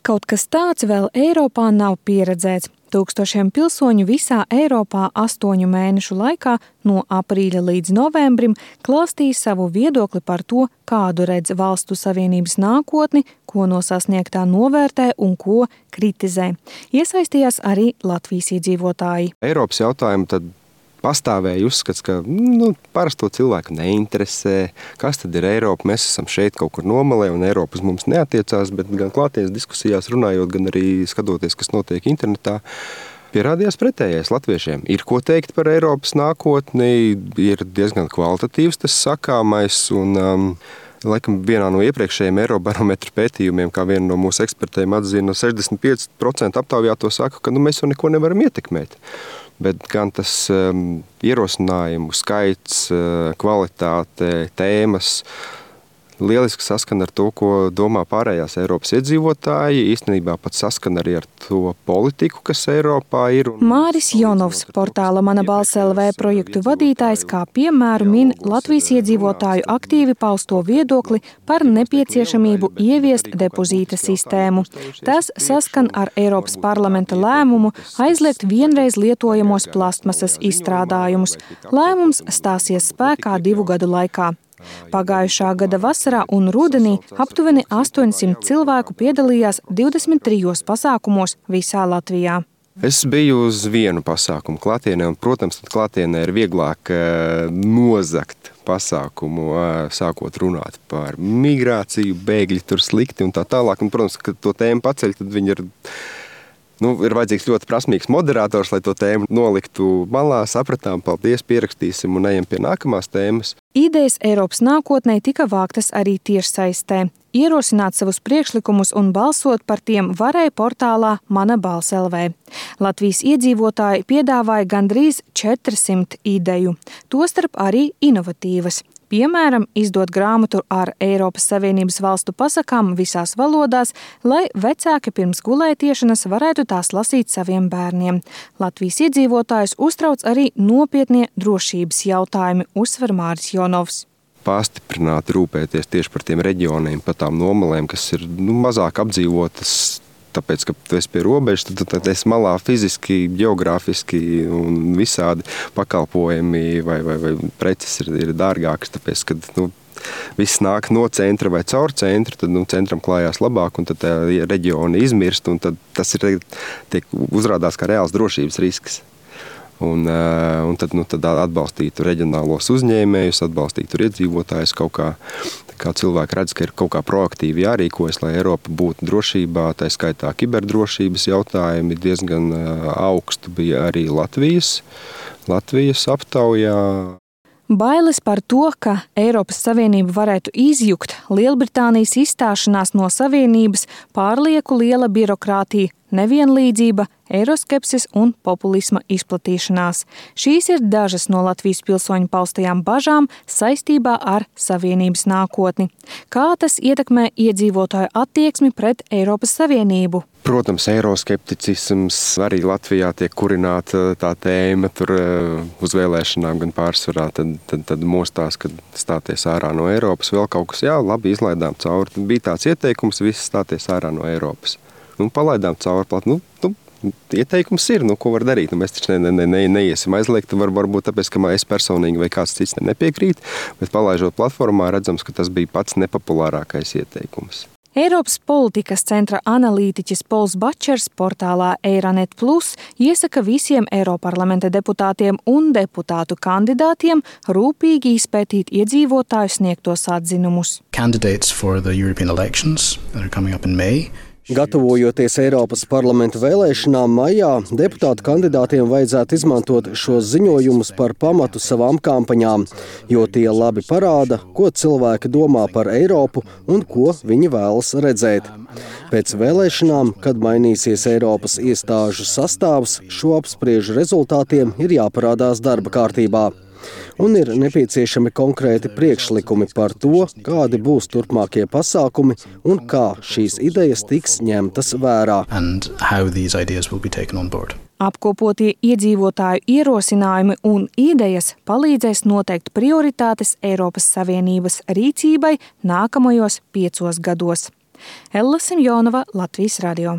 Kaut kas tāds vēl Eiropā nav pieredzēts. Tūkstošiem pilsoņu visā Eiropā 8 mēnešu laikā no aprīļa līdz novembrim klāstīja savu viedokli par to, kādu redz valstu savienības nākotni, ko no sasniegtā novērtē un ko kritizē. Iesaistījās arī Latvijas iedzīvotāji. Eiropas jautājumu tad pastāvēja uzskats, ka parasto cilvēku neinteresē, kas tad ir Eiropa, mēs esam šeit kaut kur nomalē un Eiropa uz mums neatiecās, bet gan klātienes diskusijās runājot, gan arī skatoties, kas notiek internetā, pierādījās pretējais latviešiem. Ir ko teikt par Eiropas nākotni, ir diezgan kvalitatīvs tas sakāmais un laikam vienā no iepriekšējiem Eirobarometra pētījumiem, kā viena no mūsu ekspertiem atzina, 65% aptaujāto saka, ka mēs jau neko nevaram ietekmēt. Bet gan tas ierosinājumu skaits, kvalitāte, tēmas lieliski saskan ar to, ko domā pārējās Eiropas iedzīvotāji. Īstenībā pat saskan arī ar to politiku, kas Eiropā ir. Māris Jonovs, portāla Mana balss LV projektu vadītājs, kā piemēru min Latvijas iedzīvotāju aktīvi pausto viedokli par nepieciešamību ieviest depozīta sistēmu. Tas saskan ar Eiropas parlamenta lēmumu aizliegt vienreiz lietojamos plastmasas izstrādājumus. Lēmums stāsies spēkā 2 gadu laikā. Pagājušā gada vasarā un rudenī aptuveni 800 cilvēku piedalījās 23 pasākumos visā Latvijā. Es biju uz vienu pasākumu klātienē, un, protams, tad klātienē ir vieglāk nozagt pasākumu, sākot runāt par migrāciju, bēgļi tur slikti un tā tālāk. Un, protams, kad to tēmu paceļ, tad viņi ir vajadzīgs ļoti prasmīgs moderators, lai to tēmu noliktu malā, sapratām, paldies, pierakstīsim un ejam pie nākamās tēmas. Idejas Eiropas nākotnē tika vāktas arī tiešsaistē. Ierosināt savus priekšlikumus un balsot par tiem varēja portālā Mana balss LV. Latvijas iedzīvotāji piedāvāja gandrīz 400 ideju, tostarp arī inovatīvas. Piemēram, izdot grāmatu ar Eiropas Savienības valstu pasakām visās valodās, lai vecāki pirms gulētiešanas varētu tās lasīt saviem bērniem. Latvijas iedzīvotājus uztrauc arī nopietnie drošības jautājumi, uzsver Māris Jonovs. Pastiprināti rūpēties tieši par tiem reģioniem, par tām nomalēm, kas ir mazāk apdzīvotas, tāpēc, ka tu esi pie robežas, tad esi malā fiziski, geogrāfiski un visādi pakalpojumi vai preces ir dārgākas, tāpēc, ka viss nāk no centra vai caur centru, tad centram klājās labāk un tad reģioni izmirst un tad tas tiek uzrādās kā reāls drošības risks. Un tad atbalstītu reģionālos uzņēmējus, atbalstītu iedzīvotājus kaut kā cilvēki redz, ka ir kaut kā proaktīvi jārīkojas, lai Eiropa būtu drošībā, tā skaitā kiberdrošības jautājumi diezgan augstu bija arī Latvijas aptaujā. Bailes par to, ka Eiropas Savienība varētu izjukt, Lielbritānijas izstāšanās no Savienības, pārlieku liela birokrātija, nevienlīdzība, eiroskepsis un populisma izplatīšanās. Šīs ir dažas no Latvijas pilsoņu paustajām bažām saistībā ar Savienības nākotni. Kā tas ietekmē iedzīvotāju attieksmi pret Eiropas Savienību? Protams, eiroskepticisms arī Latvijā tiek kurināta tā tēma tur uz vēlēšanām gan pārsvarā, tad mostās, kad stāties ārā no Eiropas, vēl kaut kas, labi, izlaidām cauri. Bija tāds ieteikums, visi stāties ārā no Eiropas. Palaidām cauri plāt. Ieteikums ir, ko var darīt. Mēs taču neiesim aizliegt, varbūt tāpēc, ka es personīgi vai kāds cits nepiekrīt, bet palaižot platformā redzams, ka tas bija pats nepopulārākais ieteikums. Eiropas politikas centra analītiķis Pols Bačers portālā Eiranet Plus iesaka visiem Eiroparlamenta deputātiem un deputātu kandidātiem rūpīgi izpētīt iedzīvotāju sniegtos atzinumus. Candidates for the European elections that are coming up in May. Gatavojoties Eiropas parlamenta vēlēšanām maijā, deputātu kandidātiem vajadzētu izmantot šos ziņojumus par pamatu savām kampaņām, jo tie labi parāda, ko cilvēki domā par Eiropu un ko viņi vēlas redzēt. Pēc vēlēšanām, kad mainīsies Eiropas iestāžu sastāvs, šo apspriežu rezultātiem ir jāparādās darba kārtībā. Un ir nepieciešami konkrēti priekšlikumi par to, kādi būs turpmākie pasākumi un kā šīs idejas tiks ņemtas vērā. Apkopotie iedzīvotāju ierosinājumi un idejas palīdzēs noteikt prioritātes Eiropas Savienības rīcībai nākamajos 5 gados. Ella Simjonova, Latvijas radio.